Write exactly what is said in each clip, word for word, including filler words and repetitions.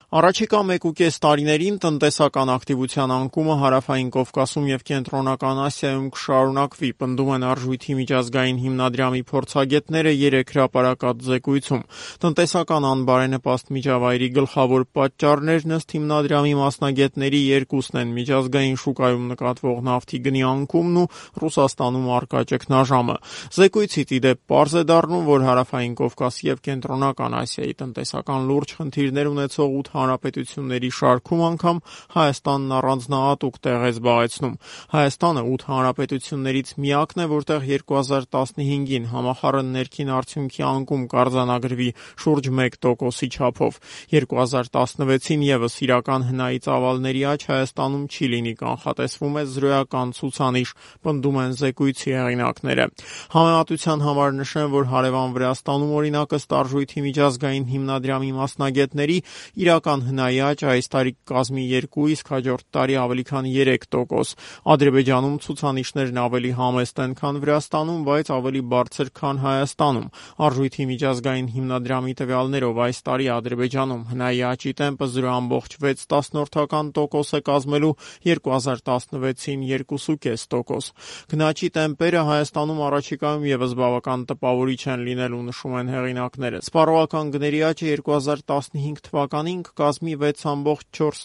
Առաջիկա մեկուկես տարիներին տնտեսական ակտիվության անկումը Հարավային Կովկասում եւ Կենտրոնական Ասիայում կշարունակվի, պնդում են Արժույթի միջազգային հիմնադրամի փորձագետները երեք հրապարակած զեկույցում։ Տնտեսական անբարենպաստ միջավայրի գլխավոր պատճառներն ըստ հիմնադրամի մասնագետների երկուսն են՝ միջազգային շուկայում նկատվող նավթի գնի անկումն ու Ռուսաստանում առկա ճգնաժամը։ Զեկույցից ի դեպ պարզ է դառնում, որ Հարավային Կովկասի եւ Կենտրոնական Ասիայի տնտեսական լուրջ խնդիրներ ունեցող ութ հանրապետությունների շարքում անգամ Հայաստանն առանձնահատուկ տեղ է զբաղեցնում։ Հայաստանը ութ հանրապետություններից միակն է, որտեղ երկու հազար տասնհինգին համախառն ներքին արդյունքի անկում կարձանագրվի շուրջ մեկ տոկոսի չափով։ երկու հազար տասնվեցին եւս իրական հնայի ծավալների աճ Հայաստանում չի լինի, կանխատեսվում է զրոյական ցուցանիշ, պնդում են զեկույցի հեղինակները։ Համեմատության համար նշեմ, որ հարևան Վրաստանում օրինակ ըստ Արժույթի միջազգային հիմնադրամի մասնագետների իրական հնայի աճ այս տարի կկազմի երկու, իսկ հաջորդ տարի ավելի քան երեք տոկոս։ Ադրբեջանում ցուցանիշներն ավելի համեստ են, քան Վրաստանում, բայց ավելի բարձր, քան Հայաստանում։ Արժույթի միջազգային հիմնադրամի տվյալներով այս տարի Ադրբեջանում հնայի աճի տեմպը զրո բացարձակ վեց տոկոս է կազմելու, երկու հազար տասնվեցին երկու կես տոկոս։ Գնաճի տեմպերը Հայաստանում առաջիկայում եւս բավական տպավորիչ են լինելու, նշում են հեղինակները։ Սպառողական գների աճը երկու հազար տասնհինգ թվականին կկազմի վեց բացարձակ չորս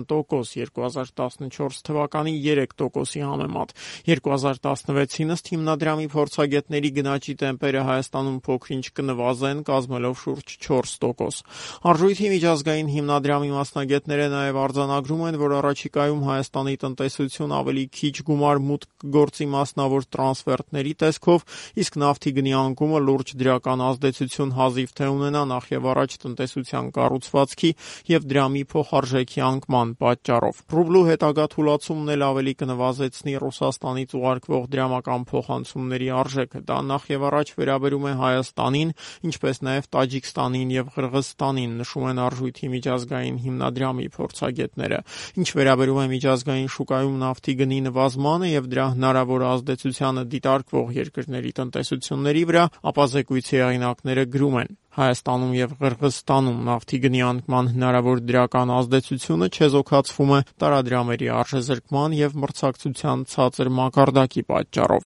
տոկոս, երկու հազար տասնչորս թվականի երեք տոկոսի համեմատ։ երկու հազար տասնվեցին ըստ հիմնադրամի փորձագետների գնաճի տեմպերը Հայաստանում փոքր-ինչ կնվազեն, կազմելով շուրջ չորս տոկոս։ Արժույթի միջազգային հիմնադրամի մասնագետները նաև արձանագրում են, որ առաջիկայում Հայաստանի տնտեսություն ավելի քիչ գումար մուտք կգործի մասնավոր տրանսֆերտների տեսքով, իսկ նավթի գնի անկումը լուրջ դրական ազդեցություն հազիվ թե ունենա նախևառաջ տնտեսության կառուցվածքի եւ դրամի փոխարժեքի անկման պատճառով։ Ռուբլու հետագա թուլացումն էլ ավելի կնվազեցնի Ռուսաստանից ուղարկվող դրամական փոխանցումների արժեքը։ Դա նախևառաջ վերաբերում է Հայաստանին, ինչպես նաև Տաջիկստանին եւ Ղրղըզստանին, նշում են Արժույթի միջազգային հիմնադրամի փորձագետները։ Ինչ վերաբերում է միջազգային շուկայում նավթի գնի նվազմանը եւ դրա հնարավոր ազդեցությանը դիտարկվող երկրների տնտեսությունների վրա, ապա զեկույցի հեղինակները գրում են. Հայաստանում եւ Ղրղըզստանում նավթի գնի անկման հնարավոր դրական ազդեցությունը չեզոքացվում է տարադրամերի արժեզրկման եւ մրցակցության ցածր մակարդակի պատճառով։